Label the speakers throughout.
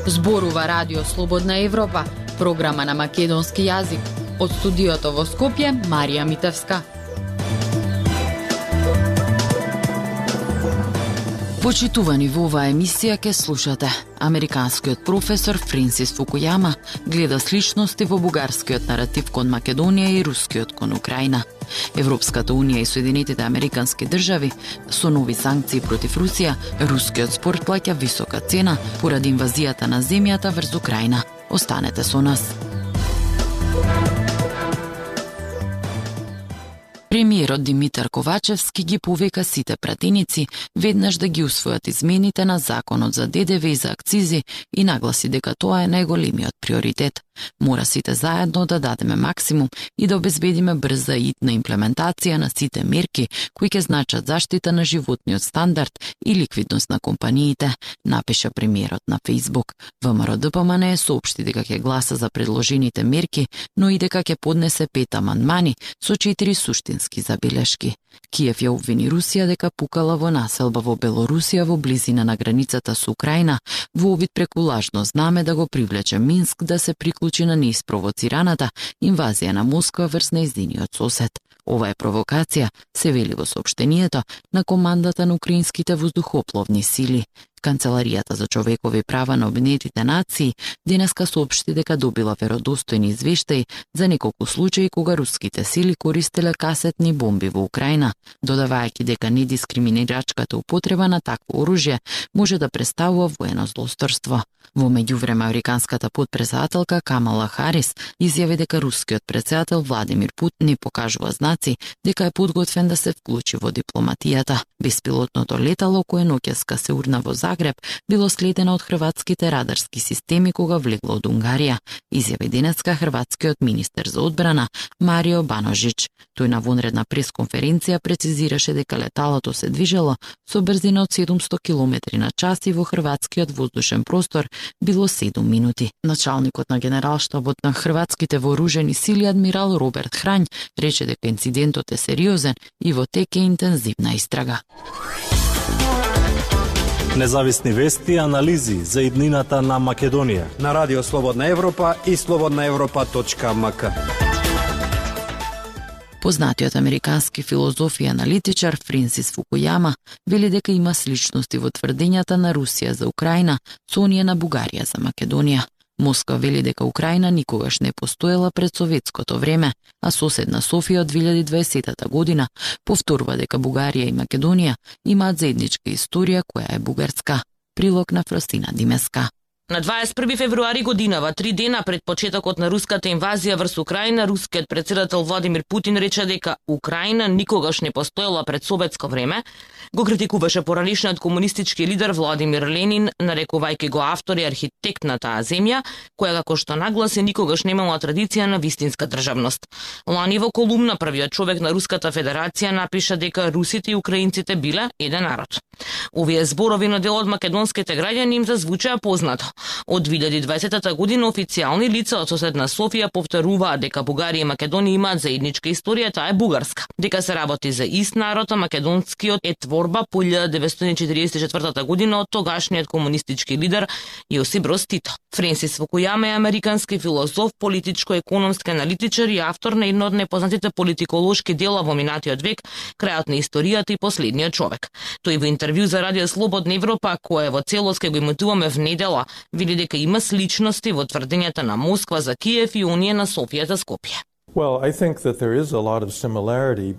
Speaker 1: Зборува Радио Слободна Европа, програма на македонски јазик. Од студиото во Скопје, Марија Митевска. Почитувани во оваа емисија ке слушате. Американскиот професор Френсис Фукујама гледа сличности во бугарскиот наратив кон Македонија и рускиот кон Украина. Европската унија и Соединетите американски држави со нови санкции против Русија, рускиот спорт плаќа висока цена поради инвазијата на земјата врз Украина. Останете со нас. Премиерот Димитар Ковачевски ги повика сите пратеници веднаш да ги усвојат измените на законот за ДДВ и за акцизи и нагласи дека тоа е најголемиот приоритет. Мора сите заедно да дадеме максимум и да обезбедиме брза и итна имплементација на сите мерки кои ќе значат заштита на животниот стандард и ликвидност на компаниите, напиша премиерот на Facebook. ВМРО-ДПМН соопшти дека ќе гласа за предложените мерки, но и дека ќе поднесе 5 амандмани со 4 суштински забелешки. Киев ја обвини Русија дека пукала во населба во Белорусија во близина на границата со Украина во обид преку лажно знаме да го привлече Минск да се приклучи на неиспровоцираната инвазија на Москва врз нејзиниот сосед. Ова е провокација, се вели во соопштението на командата на украинските воздухопловни сили. Канцеларијата за човекови права на Обединетите нации денеска соопшти дека добила веродостојни извештаи за неколку случаи кога руските сили користеле касетни бомби во Украина, додавајќи дека недискриминирачката употреба на такво оружје може да представува воено злосторство. Во меѓувреме, американската потпредседателка Камала Харис изјави дека рускиот претседател Владимир Путин не покажува знаци дека е подготвен да се вклучи во дипломатијата. Беспилотното летало кое ноќеска се урна во Загреб било следено од хрватските радарски системи кога влегло од Унгарија, изјави денеска хрватскиот министер за одбрана Марио Баножич. Тој на вонредна пресконференција прецизираше дека леталото се движело со брзина од 700 км на час и во хрватскиот воздушен простор било 7 минути. Началникот на генералштабот на хрватските вооружени сили адмирал Роберт Храњ рече дека инцидентот е сериозен и во тек е интензивна истрага.
Speaker 2: Независни вести и анализи за иднината на Македонија
Speaker 3: на Радио Слободна Европа и slobodnaevropa.mk.
Speaker 1: Познатиот американски филозоф и аналитичар Френсис Фукујама вели дека има сличности во тврдењата на Русија за Украина со оние на Бугарија за Македонија. Москва вели дека Украина никогаш не постоела пред советското време, а соседна Софија од 2020 година повторува дека Бугарија и Македонија имаат заедничка историја која е бугарска. Прилог на Фростина Димеска.
Speaker 4: На 21 февруари годинава, 3 дена пред почетокот на руската инвазија врз Украина, рускиот претседател Владимир Путин рече дека Украина никогаш не постоела пред советско време, го критикуваше поранишниот комунистички лидер Владимир Ленин, нарекувајќи го автор и архитект на таа земја, која како што нагласи никогаш немала традиција на вистинска државност. Лани во колумна првиот човек на Руската Федерација напиша дека русите и украинците биле еден народ. Овие зборови на дел од македонските граѓани им зазвучаа познато. Од 2020 година официјални лица од соседна Софија повторуваат дека Бугарија и Македонија имаат заедничка историја, таа е бугарска. Дека се работи за ист народ, а македонскиот е творба по 1944 година од тогашниот комунистички лидер Јосип Броз Тито. Френсис Фукујама е американски филозоф, политичко-економски аналитичар и автор на едно од непознатите политиколошки дела во минатиот век, Крајот на историјата и последниот човек. Тој во интервју за Радио Слободна Европа, кое во целост ке го имитуваме в недела, вели дека има сличности во тврдењата на Москва за Киев и оние на Софија за Скопје.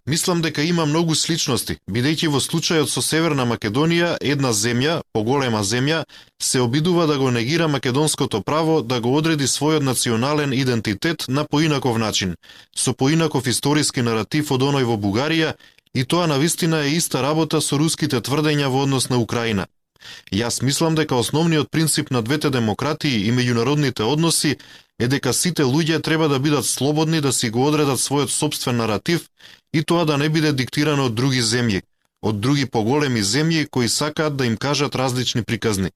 Speaker 5: Мислам дека има многу сличности, бидејќи во случајот со Северна Македонија, една земја, поголема земја, се обидува да го негира македонското право да го одреди својот национален идентитет на поинаков начин, со поинаков историски наратив од оној во Бугарија, и тоа навистина е иста работа со руските тврдења во однос на Украина. Јас мислам дека основниот принцип на двете демократии и меѓународните односи е дека сите луѓе треба да бидат слободни да си го одредат својот сопствен наратив и тоа да не биде диктирано од други земји, од други поголеми земји кои сакаат да им кажат различни приказни.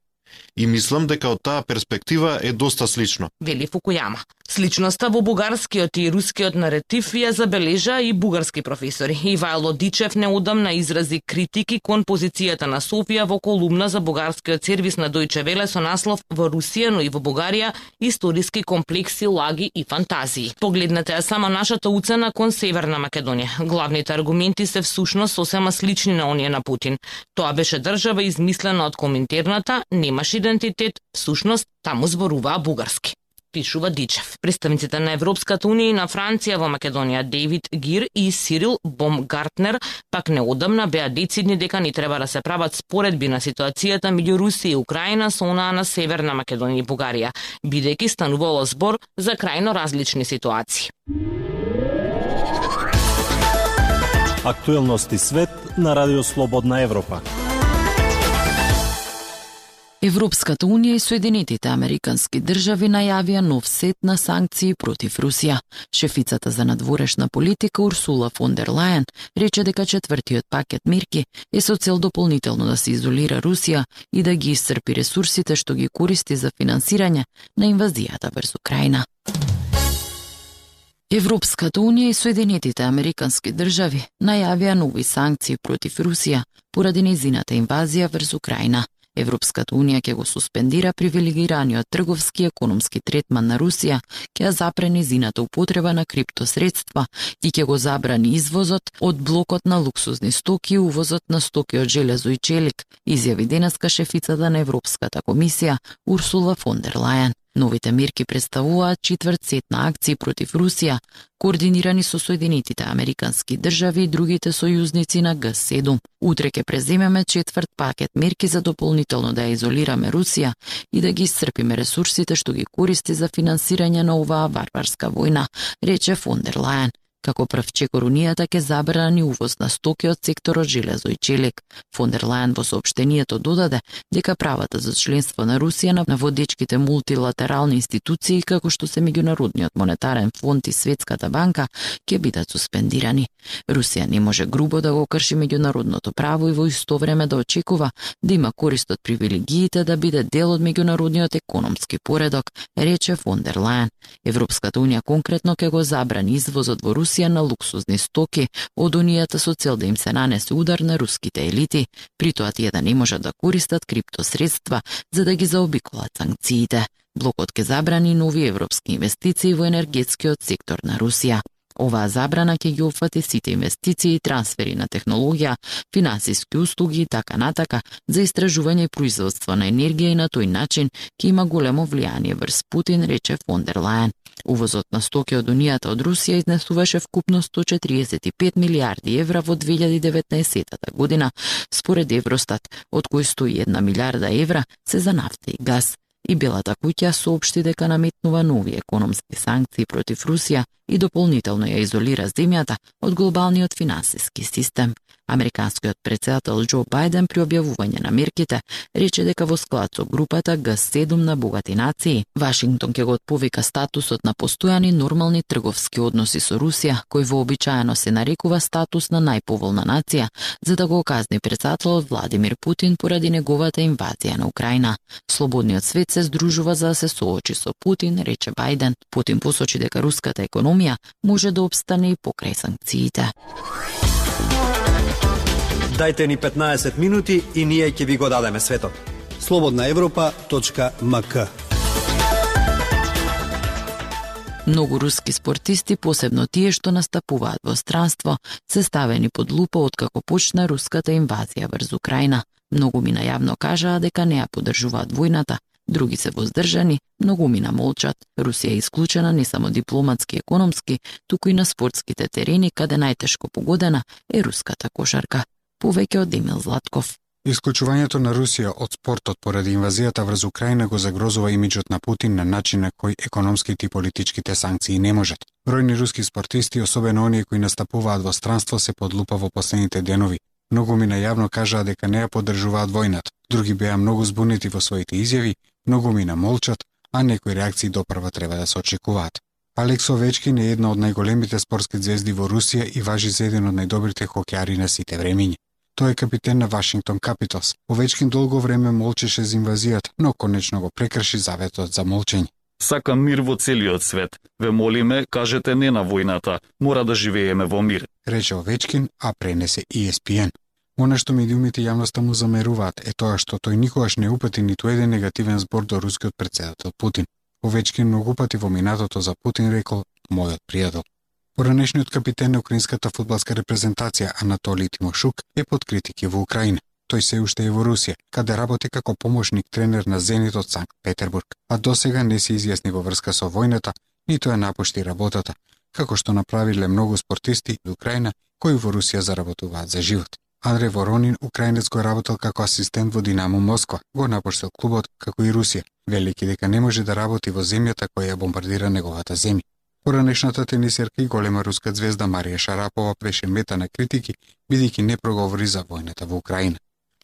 Speaker 5: И мислам дека од таа перспектива е доста слично.
Speaker 4: Вели Фукујама. Сличноста во бугарскиот и рускиот наратив ја забележа и бугарски професори. Ивајло Дичев неодамна изрази критики кон позицијата на Софија во колумна за бугарскиот сервис на Дојче Веле со наслов "Во Русија, но и во Бугарија, историски комплекси, лаги и фантазии". Погледнете ја само нашата уцена кон Северна Македонија. Главните аргументи се всушност сосема слични на оние на Путин. Тоа беше држава измислена од Коминтерната, немаш идентитет, всушност таму зборуваа бугарски, пишува Дичев. Представниците на Европската унија и на Франција во Македонија, Дейвид Гир и Сирил Бомгартнер, пак неодамна беа децидни дека не треба да се прават споредби на ситуацијата меѓу Русија и Украина со онаа на Северна Македонија и Бугарија, бидејќи станувало збор за крајно различни ситуации.
Speaker 2: Актуелности свет на Радио Слободна Европа.
Speaker 1: Европската унија и Соединетите американски држави најавија нов сет на санкции против Русија. Шефицата за надворешна политика Урсула фон дер Лајен рече дека четвртиот пакет мерки е со цел дополнително да се изолира Русија и да ги исцрпи ресурсите што ги користи за финансирање на инвазијата врз Украина. Европската унија и Соединетите американски држави најавија нови санкции против Русија поради нејзината инвазија врз Украина. Европската унија ќе го суспендира привилегираниот трговски и економски третман на Русија, ќе ја запре нејзината употреба на криптосредства и ќе го забрани извозот од блокот на луксузни стоки и увозот на стоки од железо и челик, изјави денеска шефицата на Европската комисија Урсула фон дер Лајен. Новите мерки представуваат четврт сет на акции против Русија, координирани со Соединетите американски држави и другите сојузници на Г7. Утре ќе преземеме четврт пакет мерки за дополнително да ја изолираме Русија и да ги исцрпиме ресурсите што ги користи за финансирање на оваа варварска војна, рече фон дер Лајен. Како прв чекор унијата ќе забрани увоз на стоки од секторот железо и челик. Фон дер Лајен во соопштението додаде дека правата за членство на Русија на водечките мултилатерални институции како што се Меѓународниот монетарен фонд и Светската банка ќе бидат суспендирани. Русија не може грубо да го крши меѓународното право и во исто време да очекува да има корист од привилегиите да биде дел од меѓународниот економски поредок, рече фон дер Лајен. Европската унија конкретно ќе го забрани извозот во Русија на луксузни стоки од унијата со цел да им се нанесе удар на руските елити, при тоа тие да не можат да користат криптосредства за да ги заобиколат санкциите. Блокот ќе забрани нови европски инвестиции во енергетскиот сектор на Русија. Оваа забрана ќе ги опфати сите инвестиции, трансфери на технологија, финансиски услуги и така натака за истражување и производство на енергија и на тој начин ќе има големо влијание врз Путин, рече фон дер Лајен. Увозот на стоки од унијата од Русија изнесуваше вкупно 145 милиарди евра во 2019 година, според Евростат, од кои 101 милиарда евра се за нафта и газ. И Белата куќа соопшти дека наметнува нови економски санкции против Русија и дополнително ја изолира земјата од глобалниот финансиски систем. Американскиот претседател Џо Бајден при објавување на мерките рече дека во склад со групата Г7 на богати нации, Вашингтон ќе го отповика статусот на постојани нормални трговски односи со Русија, кој вообичаено се нарекува статус на најповолна нација, за да го казни претседателот Владимир Путин поради неговата инвазија на Украина. Слободниот свет се здружува за да се соочи со Путин, рече Бајден. Путин посочи дека руската економија може да опстане и покрај санкциите.
Speaker 3: Дајте ни 15 минути и ние ќе ви го дадеме светот.
Speaker 6: slobodnaevropa.mk.
Speaker 1: Многу руски спортисти, посебно тие што настапуваат во странство, се ставени под лупа откако почна руската инвазија врз Украина. Многу мина јавно кажаа дека не ја поддржуваат војната, други се воздржани, многу мина молчат. Русија е исклучена не само дипломатски и економски, туку и на спортските терени, каде најтешко погодена е руската кошарка. Повеќе од Емил Златков.
Speaker 6: Исклучувањето на Русија од спортот поради инвазијата врз Украина го загрозува имиџот на Путин на начин на кој економските и политичките санкции не можат. Бројни руски спортисти, особено оние кои настапуваат во странство, се под лупа во последните денови. Многу мина јавно кажаа дека не ја поддржуваат војната. Други беа многу збунети во своите изјави, многу мина молчат, а некои реакции допрва треба да се очекуваат. Алекс Овечкин е една од најголемите спортски звезди во Русија и важи за еден од најдобрите хокејари на сите времиња. Тој е капитен на Вашингтон Капиталс. Овечкин долго време молчеше за инвазијата, но конечно го прекрши заветот за молчење.
Speaker 7: Сакам мир во целиот свет. Ве молиме, кажете не на војната. Мора да живееме во мир.
Speaker 6: Рече Овечкин, а пренесе ESPN. Она што медиумите јавноста му замеруваат е тоа што тој никогаш не упати ниту еден негативен збор до рускиот претседател Путин. Овечкин многу пати во минатото за Путин рекол мојот пријател. Поранешниот капитен на украинската фудбалска репрезентација Анатолий Тимошук е под критики во Украина. Тој се уште е во Русија, каде работи како помошник тренер на Зенит од Санкт Петербург, а досега не се изјасни во врска со војната, ниту ја напушти работата, како што направиле многу спортисти од Украина кои во Русија заработуваат за живот. Андрей Воронин, украинец, го работел како асистент во Динамо Москва, го напуштил клубот како и Русија, велики дека не може да работи во земјата која ја бомбардира неговата земја. Поранешната тенисерка и голема руска звезда Марија Шарапова беше мета на критики, бидејќи не проговори за војната во Украина.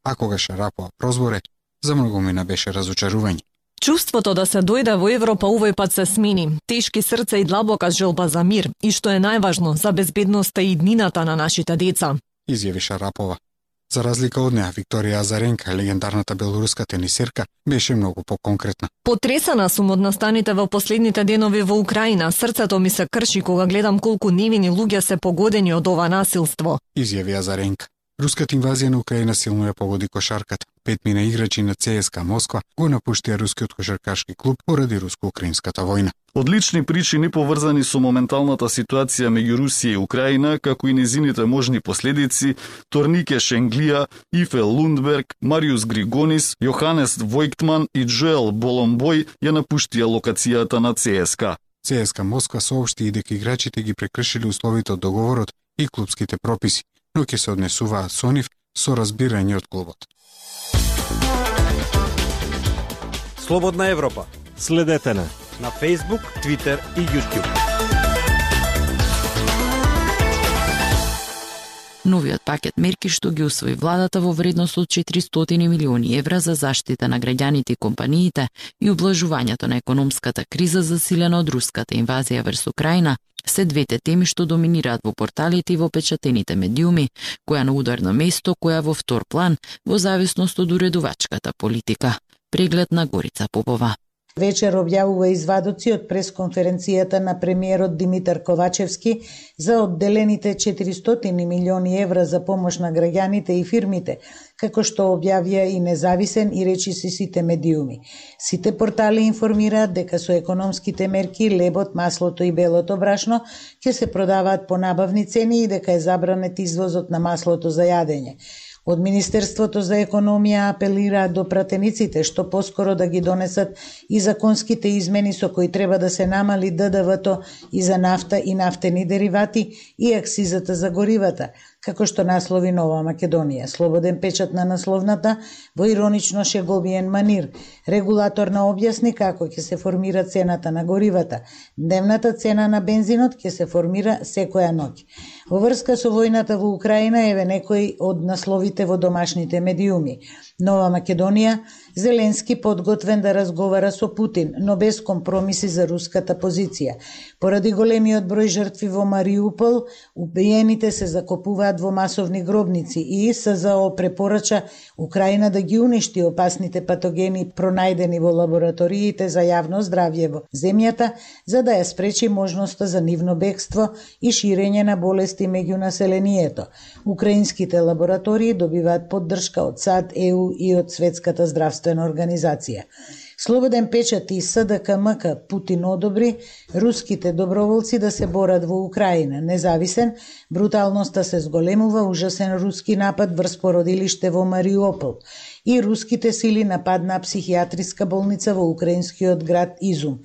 Speaker 6: А кога Шарапова прозборе, за многумина беше разочарување.
Speaker 8: Чувството да се дојде во Европа овој пат се смени. Тешки срца и длабока желба за мир, и што е најважно, за безбедноста и иднината на нашите деца,
Speaker 6: изјави Шарапова. За разлика од неа, Викторија Азаренка, легендарната белоруска тенисерка, беше многу поконкретна.
Speaker 8: Потресена сум од настаните во последните денови во Украина. Срцето ми се крши кога гледам колку невини луѓе се погодени од ова насилство,
Speaker 6: изјави Азаренка. Руската инвазија на Украина силно ја погоди кошарката. 5 мина играчи на ЦСКА Москва го напуштија рускиот кошаркашки клуб поради руско-украинската војна.
Speaker 7: Од лични причини поврзани со моменталната ситуација меѓу Русија и Украина, како и незините можни последици, Торнике Шенглија, Ифе Лундберг, Мариус Григонис, Јоханес Војктман и Джоел Боломбој ја напуштија локацијата на ЦСКА.
Speaker 6: ЦСКА Москва соопшти и дека играчите ги прекршиле условите од договорот и клубските прописи, но ќе се однесуваат со нив со разбирање од клубот.
Speaker 3: Слободна Европа.
Speaker 2: Следете на
Speaker 3: Facebook, Twitter и YouTube.
Speaker 1: Новиот пакет мерки што ги усвои владата во вредност од 400 милиони евра за заштита на граѓаните и компаниите и ублажувањето на економската криза засилена од руската инвазија врз Украина се двете теми што доминираат во порталите и во печатените медиуми, која на ударно место, која во втор план во зависност од уредувачката политика. Преглед на Горица Попова.
Speaker 9: Вечер објавува извадоци од пресконференцијата на премиерот Димитар Ковачевски за одделените 400 милиони евра за помош на граѓаните и фирмите, како што објавија и независен и речиси сите медиуми. Сите портали информираат дека со економските мерки лебот, маслото и белото брашно ќе се продаваат по набавни цени и дека е забранет извозот на маслото за јадење. Од Министерството за економија апелираат до пратениците што поскоро да ги донесат и законските измени со кои треба да се намали ДДВ-то и за нафта и нафтени деривати и акцизата за горивата, како што наслови Нова Македонија. Слободен печат на насловната во иронично шеговиен манир. Регулаторна објасни како ќе се формира цената на горивата. Дневната цена на бензинот ќе се формира секоја ноќ. Во врска со војната во Украина еве некои од насловите во домашните медиуми. Нова Македонија, Зеленски подготвен да разговара со Путин, но без компромиси за руската позиција. Поради големиот број жртви во Мариупол, убиените се закопуваат во масовни гробници и СЗО препорача Украина да ги уништи опасните патогени пронајдени во лабораториите за јавно здравје во земјата, за да ја спречи можноста за нивно бегство и ширење на болести меѓу населението. Украинските лаборатории добиваат поддршка од САД, ЕУ и од Светската здравствена организација. Слободен печат и СДКМК Путин одобри руските доброволци да се борат во Украина. Независен, бруталноста се зголемува, ужасен руски напад врз породилиште во Мариупол и руските сили нападнаа психијатриска болница во украинскиот град Изум.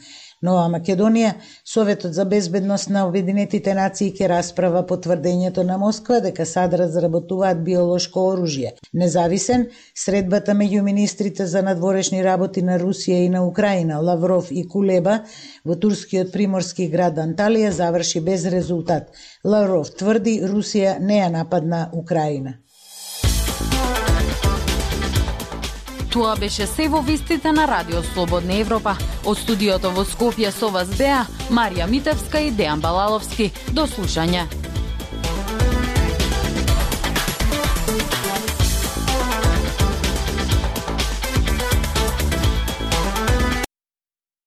Speaker 9: Нова Македонија, Советот за безбедност на Обединетите нации ќе расправа потврдењето на Москва дека САД разработуваат биолошко оружје. Независен, средбата меѓу министрите за надворешни работи на Русија и на Украина, Лавров и Кулеба, во турскиот приморски град Анталија заврши без резултат. Лавров тврди Русија не ја нападна Украина.
Speaker 10: Тоа беше се во вестите на Радио Слободна Европа. Од студиото во Скопје со вас беа Марија Митевска и Дејан Балаловски. До слушање.